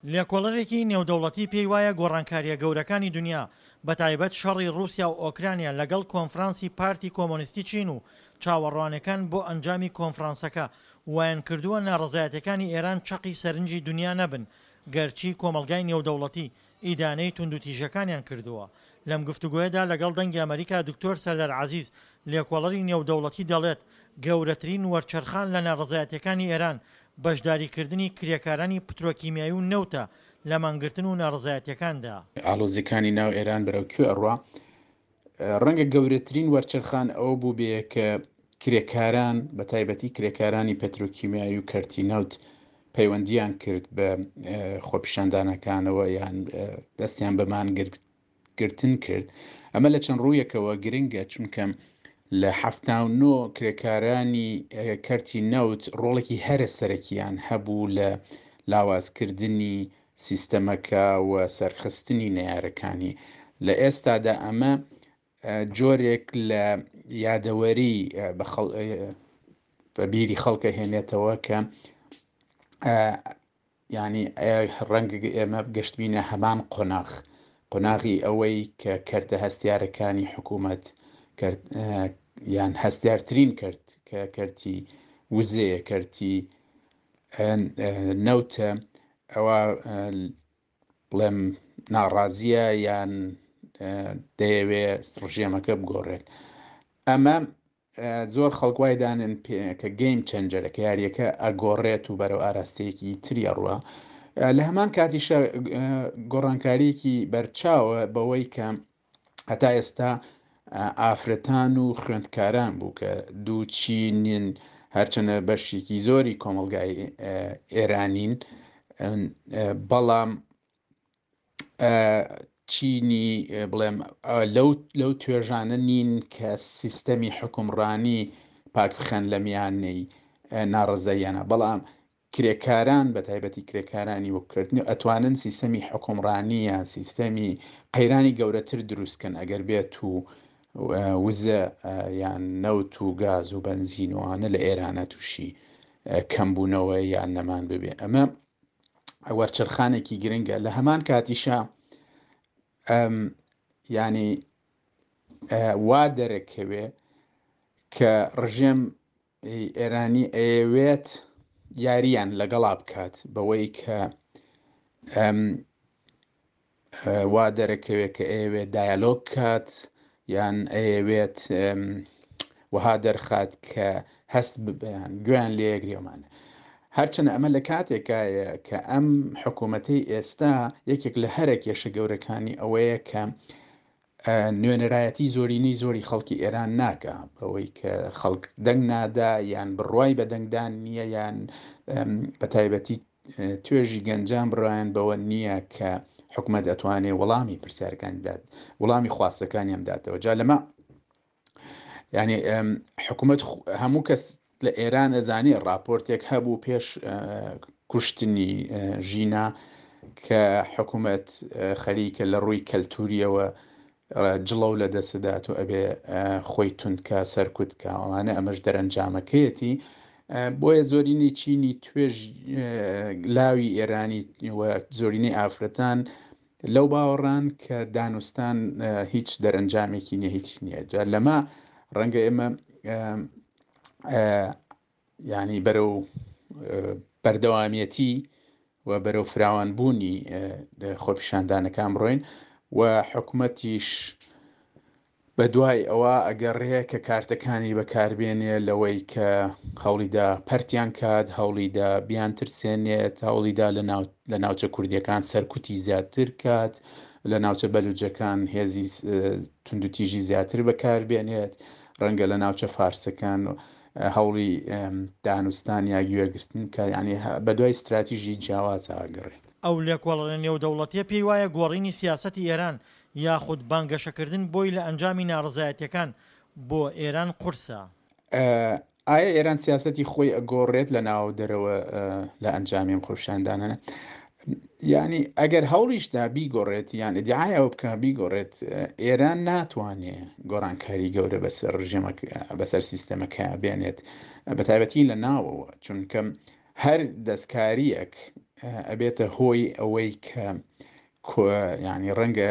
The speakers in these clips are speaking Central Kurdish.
لێکۆڵەرێکی نێودەوڵەتی پێی وایە گۆڕانکارییە گەورەکانی دونیا، بەتایبەت شەڕی ڕووسیا و ئۆکرانیا لەگەڵ کۆنفرانسی پارتی کۆمۆنیستی چین و چاوەڕوانێکان بۆ ئەنجامی کۆنفرانسەکە وایانکردووە ناڕەزایەتیەکانی ئێران چەقی سەرنجی دونیا نەبن گەرچی کۆمەڵگای نێودەوڵەتی ئیدانەی توندوتیژیەکانیان کردووە. لەم گفتوگۆیەدا لەگەڵ دەنگی ئەمەریکا دکتۆر سەردار عەزیز لێکۆڵەری نێودەوڵەتی دەڵێت گەورەترین وەرچەرخان لە ناڕەزایەتیەکانی ئێران بەشداریکردنی کرێکارانی پترۆکیمیایی و نەوتە لە مانگرتن و ناڕەزایەتیەکاندا. ئاڵۆزیەکانی ناو ئێران بەرەو کوێ ئەڕوا؟ ڕەنگە گەورەترین وەرچەرخان ئەوە بووبێ کە کرێکاران بە تایبەتی کرێکارانی پەترۆکیمیایی و کەرتی نەوت پەیوەندیان کرد بە خۆپیشاندانەکانەوە یان دەستیان بە مانگرتن کرد. ئەمە لە چەند ڕوویەکەوە گرنگە چونکە لە 79 کرێکارانی کەرتی نەوت ڕۆڵێکی هەرە سەرەکیان هەبوو لە لاوازکردنی سیستەمەکە و سەرخستنی نەیارەکانی. لە ئێستادا ئەمە جۆرێک لە یادەوەری بە بیری خەڵکە هێنێتەوە کە ینی ڕەنگە ئێمە گەشتبینە هەمان قۆناغ قۆناغی ئەوەی کە کەرتە هەستیارەکانی حکوومەت یان هەستیارترین کەرت کە کەرتی وزەیە کەرتی نەوتە ئەوە بڵێم ناڕازیە یان دەیەوێ ڕژێمەکە بگۆڕێت. ئەمە زۆر خەڵک وای دانن کە گەیم چەنجەرە کە یاریەکە ئەگۆڕێت و بەرەو ئاراستەیەکی تری ئەڕوا. لە هەمان کاتیشە گۆڕانکاریەکی بەرچاوە بەوەی کە هەتا ئێستا ئافرەتان و خوێندکاران بوو کە دوو چینین هەرچەنە بەشێکی زۆری کۆمەڵگای ئێرانین بەڵام چینی بڵێم لەو لەو توێژانە نین کە سیستەمی حکومڕانی پاک بخەن لە میانەی ناڕزاییانە بەڵام کرێکاران بە تایبەتی کرێکارانی وەککردن ئەتوانن سیستەمی حکومڕانی یان سیستەمی قەیرانی گەورەتر دروست کەن ئەگەر بێت و وزە یان نەوت و گاز و بەنزین و ئەوانە لە ئێرانە تووشی کەمبوونەوە یان نەمان ببێ ئەمە وەرچەرخانێکی گرنگە لە هەمان کاتیشا ینی وا دەرەکەوێ کە ڕژێم ئێرانی ئەیەوێت یارییان لەگەڵا بکات بەوەی کە وا دەرەکەوێت کە ئەیەوێت دایالۆگ کات یان ئەیەوێت وەها دەرخات کە هەست ببیان گوێیان لێگرێمانە هەرچەنە ئەمە لە کاتێکایە کە ئەم حکوومەتەی ئێستا یەکێک لە هەرە کێشە گەورەکانی ئەوەیە کە نوێنەرایەتی زۆرینەی زۆری خەڵکی ئێران ناکا بەوەی کە خەڵک دەنگ نادا یان بڕوای بە دەنگدان نییە یان بە تایبەتی توێژی گەنجان بڕایان بەوە نییە کە حکومەت ئەتوانێ وەڵامی پرسیارەکان بدات وەڵامی خواستەکانیان بداتەوە جا لەمە یعنی حکوومەت هەموو کەس لە ئێران ئەزانێ ڕاپۆرتێک هەبوو پێش کوشتنی ژینا کە حکوومەت خەریکە لە ڕووی کەلتوریەوە جڵەو لە دەستدات و ئەبێ خۆی توندکە سەرکوتکە ئەوانە ئەمەش دەرەنجامەکەیەتی بۆیە زۆرینەی چینی توێژ لاوی ئێرانی و زۆرینەی ئافرەتان لەو باوەڕان کە دانوستان هیچ دەرەنجامێکی نیە هیچ نییە جا لەمە ڕەنگە ئێمە ینی بەرەو بەردەوامیەتی و بەرەو فراوانبوونی خۆپیشاندانەکان بڕۆین و حکومەتیش بەدوای ئەوە ئەگەڕێ کە کارتەکانی بەکاربێنێ لەوەی کە هەوڵیدا پەرتیان کات، هەوڵیدا بیانترسێنێت، هەوڵیدا لە ناوچە کوردیەکان سەرکوتی زیاتر کات، لە ناوچە بەلوجەکان هێزی توندوتیژی زیاتر بەکاربێنێت، ڕەنگە لە ناوچە فارسەکان هەوڵی دانوستان یا گوێگرتن کە یعنی بەدوای ستراتیژی جیاواز ئەگەڕێت. ئەو لێکۆڵەرە نێودەوڵەتیە پێی وایە گۆڕینی سیاسەتی ئێران یاخود بانگەشەکردن بۆی لە ئەنجامی ناڕەزایەتیەکان بۆ ئێران قورسە. ئایا ئێران سیاسەتی خۆی ئەگۆڕێت لە ناوەو دەرەوە لە ئەنجامی ئەم خۆپیشاندانانە؟ یعنی ئەگەر هەوڵیشدا بیگۆڕێت یان ئیدعای ئەوە بکە بیگۆڕێت ئێران ناتوانێ گۆڕانکاری گەورە بەسەر ڕژێمە بەسەر سیستەمەکە بێنێت بە تایبەتی لە ناوەوە چونکە هەر دەستکاریەک ئەبێتە هۆی ئەوەی کە ینی ڕەنگە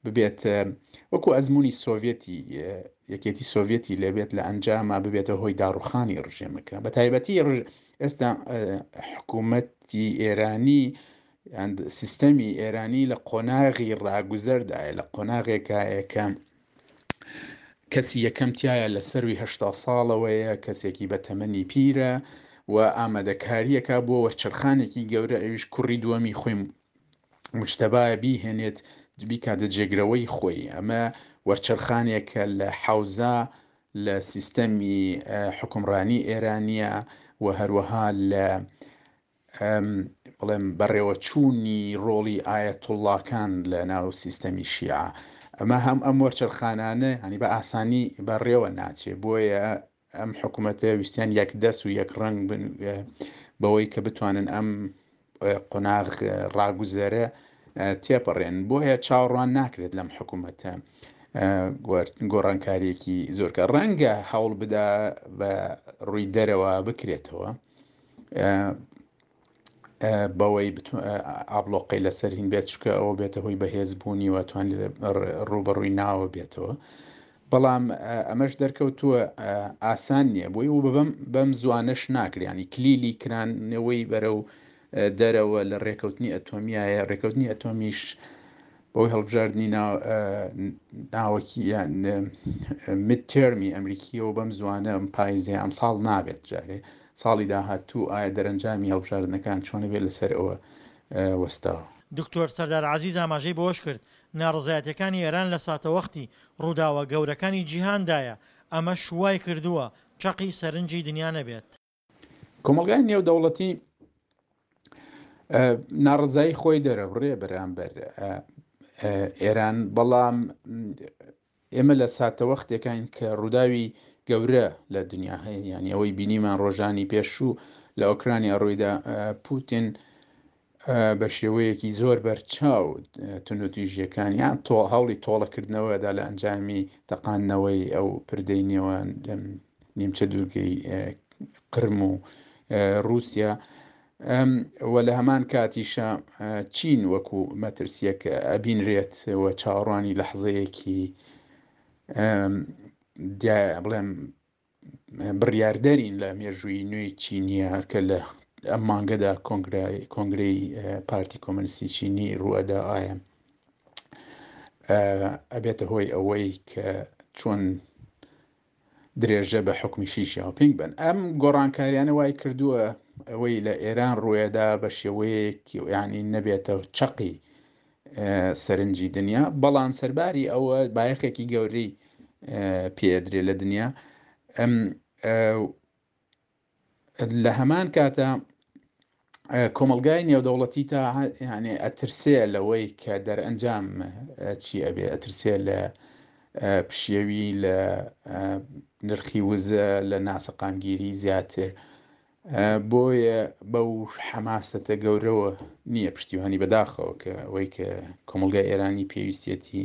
ببێت وەکو ئەزمموی سۆڤەتی یەکێتی سۆڤەتی لێبێت لە ئەنجاما ببێتە هۆی داڕوخانی ڕژێمەکە بە تایبەتی ئێستا حکوومەتی ئێرانی سیستەمی ئێرانی لە قۆناغی ڕاگوزەردایە لە قۆناغێکایە کە کەسی یەکەم تایە لە سەروی هەشتا ساڵەوەیە کەسێکی بە تەمەنی پیرە و ئامادەکاریەکە بۆ وەرچەرخانێکی گەورە ئەویش کوڕی دووەمی خۆی مجتەبایە بیهێنێت بیکاتە جێگرەوەی خۆی ئەمە وەرچەرخانێکە لە حەوزە لە سیستەمی حکومڕانی ئێرانیە و هەروەها لە بڵێم بەڕێوەچوونی ڕۆڵی ئایەتوڵڵاکان لە ناو سیستەمی شیعە ئەمە هەم ئەم وەرچەرخانانە ینی بە ئاسانی بەڕێوە ناچێ بۆیە ئەم حکوومەتە ویستیان یەک دەست و یەک ڕەنگ بن بەوەی کە بتوانن ئەم قۆناغ ڕاگوزەرە تێپەڕێن بۆیە چاوەڕوان ناکرێت لەم حکوومەتە گۆڕانکاریەکی زۆرکە ڕەنگە هەوڵ بدا بە ڕووی دەرەوە بکرێتەوە بەوەی ئابلۆقەی لەسەر هین بێت چکە ئەوە بێتە هۆی بەهێزبوونی و توان ڕوبەڕووی ناوە بێتەوە بەڵام ئەمەش دەرکەوتووە ئاسان نییە بۆی و بەم بەم زوانەش ناکریانی کلیلی کرانەوەی بەرەو دەرەوە لە ڕێکەوتنی ئەتۆمیایە ڕێکەوتنی ئەتۆمیش بەوەی هەڵبژاردنی ناوەکی یان میدتێرمی ئەمریکیەوە بەم زوانە ئەم پایزێ ئەم ساڵ نابێت جارێ ساڵی داهاتوو ئایا دەرەنجامی هەڵبژاردنەکان چۆنە بێت لەسەر ئەوە وەستاوە. دکتۆر سەردار عەزیز ئاماژەی بەوەشکرد، ناڕەزایەتیەکانی ئێران لە ساتەوەختی ڕووداوە گەورەکانی جیهاندایە، ئەمەش وایکردووە چەقی سەرنجی دنیا نەبێت. کۆمەڵگای نێودەوڵەتی ناڕزایی خۆی دەرەبڕێ بەرامبەر ئێران بەڵام ئێمە لە ساتەوەختێکین کە ڕووداوی گەورە لە دنیا هەیە یعنی ئەوەی بینیمان ڕۆژانی پێشوو لە ئۆکرانیا ڕوویدا پوتین بە شێوەیەکی زۆر بەرچاو توندوتیژیەکان یان تۆ هەوڵی تۆڵەکردنەوەدا لە ئەنجامی تەقاندنەوەی ئەو پردەی نێوان نیمچە دوورگەی قرم و رووسیا و لە هەمان کاتیشە چین وەکو مەترسیەک ئەبینرێت و چاوەڕوانی لەحزەیەکی بڵێم بڕیاردەرین لە مێژووی نوێی چینیە کە لە ئەم مانگەدا کۆنگرەی پارتی کۆمەنیستی چینی ڕوئەدا ئایا ئەبێتە هۆی ئەوەی کە چۆن درێژە بە حکومی شی ژیاوپینگ بن ئەم گۆڕانکاریانە وای کردووە ئەوەی لە ئێران ڕوێدا بە شێوەیەک ینی نەبێتە چەقی سەرنجی دنیا بەڵام سەرباری ئەوە بایەخێکی گەورەی پێدرێ لە دنیا لە هەمان کاتە کۆمەلگای نێودەوڵەتی تا یانێ ئەترسێ لەوەی کە دەرئەنجام چی ئەبێ ئەترسێ لە پشێوی لە نرخی وزە لە ناسەقامگیری زیاتر بۆیە بەو حەماسەتە گەورەوە نییە پشتیوانی بەداخەوە کە ئەوەی کە کۆمەڵگای ئێرانی پێویستیەتی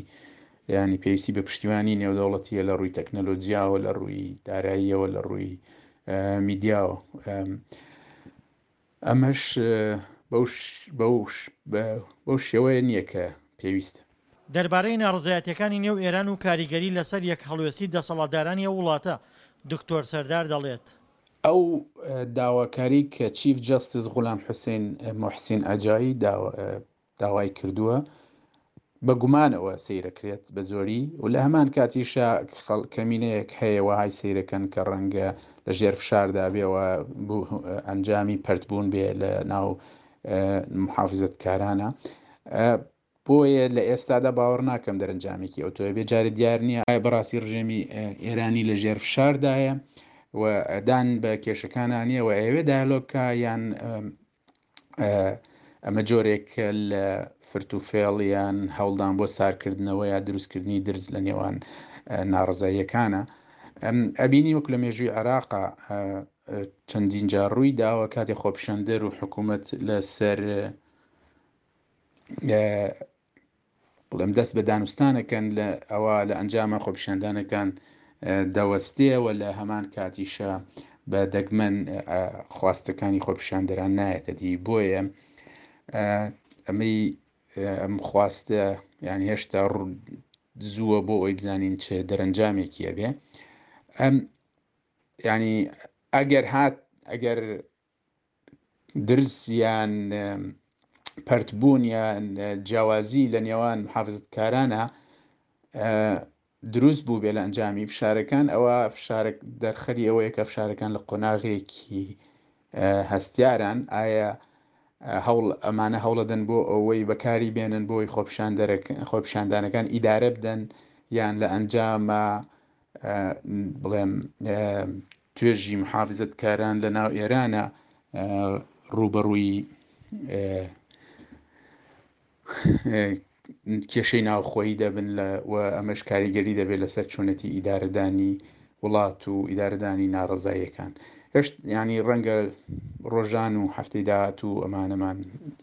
ینی پێویستی بە پشتیوانی نێودەوڵەتیە لە ڕووی تەکنەلۆجیاوە لە ڕووی داراییەوە لە ڕووی میدیاوە ئەمەش بەو شێوەیە نییە کە پێویستە. دەربارەی ناڕەزایەتیەکانی نێو ئێران و کاریگەری لەسەر یەکهەڵوێستی دەسەڵاتدارانی ئەو وڵاتە، دکتۆر سەردار دەڵێت. ئەو داواکاری کە چیف جەستس غولام حوسێن موحسین ئەجایی داوای کردووە بە گومانەوە سەیرەکرێت بە زۆری و لە هەمان کاتیشا کەمینەیەک هەیە وەهای سەیرەکەن کە ڕەنگە لە ژێر فشاردا بێ و ئەنجامی پەرتبوون بێ لە ناو محافزەتکارانە. بۆیە لە ئێستادا باوەڕ ناکەم دەرەنجامێکی ئەوتۆ بێ جارێ دیار نییە ئایا بەڕاستی ڕژێمی ئێرانی لە ژێر فشاردایە و دان بە کێشەکانە نییە و ئەیەوێ دایالۆگ کا یان ئەمە جۆرێک لە فرت و فێڵ یان هەوڵدان بۆ سارکردنەوە یا دروستکردنی درز لە نێوان ناڕزاییەکانە ئەبینی وەک لە مێژووی عێراقا چەندین جار ڕووی داوە کاتێ خۆپیشاندەر و حکوومەت لەسەر بڵێم دەست بە دانوستانەکەن لە ئەوە لە ئەنجامە خۆپیشاندانەکان دەوەستێەوە لە هەمان کاتیشە بە دەگمەن خواستەکانی خۆپیشاندەران نایەتە دی بۆیە ئەمەی ئەم خواستە یان هێشتا زووە بۆ ئەوی بزانین چ دەرەنجامێکی ئەبێ ئەم ینی ئەگەر هات ئەگەر درز یان پەرتبوون یان جیاوازی لە نێوان محافزەتکارانە دروست بوو بێ لە ئەنجامی فشارەکان ئەوە فشارە دەرخەری ئەوەیە کە فشارەکان لە قۆناغێکی هەستیاران ئایا هەوڵ ئەمانە هەوڵەدەن بۆ ئەوەی بەکاری بێنن بۆی خۆپیشاندانەکان ئیدارە بدەن یان لە ئەنجامە بڵێم توێژی محافزەتکاران لە ناو ئێرانە ڕووبەڕووی کێشەی ناوخۆیی دەبن لە و ئەمەش کاریگەری دەبێت لەسەر چۆنێتی ئیدارەدانی وڵات و ئیدارەدانی ناڕەزاییەکان هێشت ینی ڕەنگە ڕۆژان و هەفتەی داهاتوو ئەمانەمان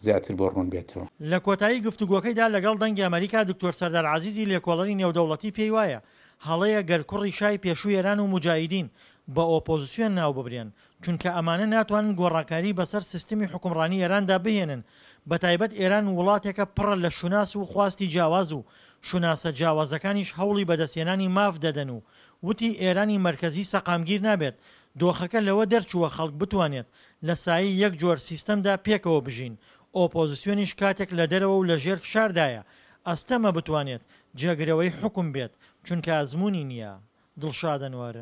زیاتر بۆ ڕوون بێتەوە. لە کۆتایی گفتوگۆکەیدا لەگەڵ دەنگی ئەمەریکا دکتۆر سەردار عەزیزی لێکۆڵەری نێودەوڵەتی پێی وایە هەڵەیە گەر کوڕی شای پێشووی ئێران و موجاهیدین بە ئۆپۆزسیۆن ناوببرێن، چونکە ئەمانە ناتوانن گۆڕانکاری بەسەر سیستمی حوکمڕانی ئێراندا بهێنن، بەتایبەت ئێران وڵاتێکە پڕە لە شوناس و خواستی جیاواز و شوناسە جیاوازەکانیش هەوڵی بەدەستهێنانی ماف دەدەن و وتی ئێرانی مەرکەزی سەقامگیر نابێت، دۆخەکە لەوە دەرچووە خەڵک بتوانێت لە سایەی یەک جۆر سیستەمدا پێکەوە بژین، ئۆپۆزسیۆنیش کاتێک لە دەرەوە و لەژێر فشاردایە ئەستەمە بتوانێت جێگرەوەی حوکم بێت، چونکە ئەزموونی نییە. دڵشاد ئەنوەر،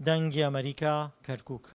دەنگی ئەمەریکا، کەرکوک.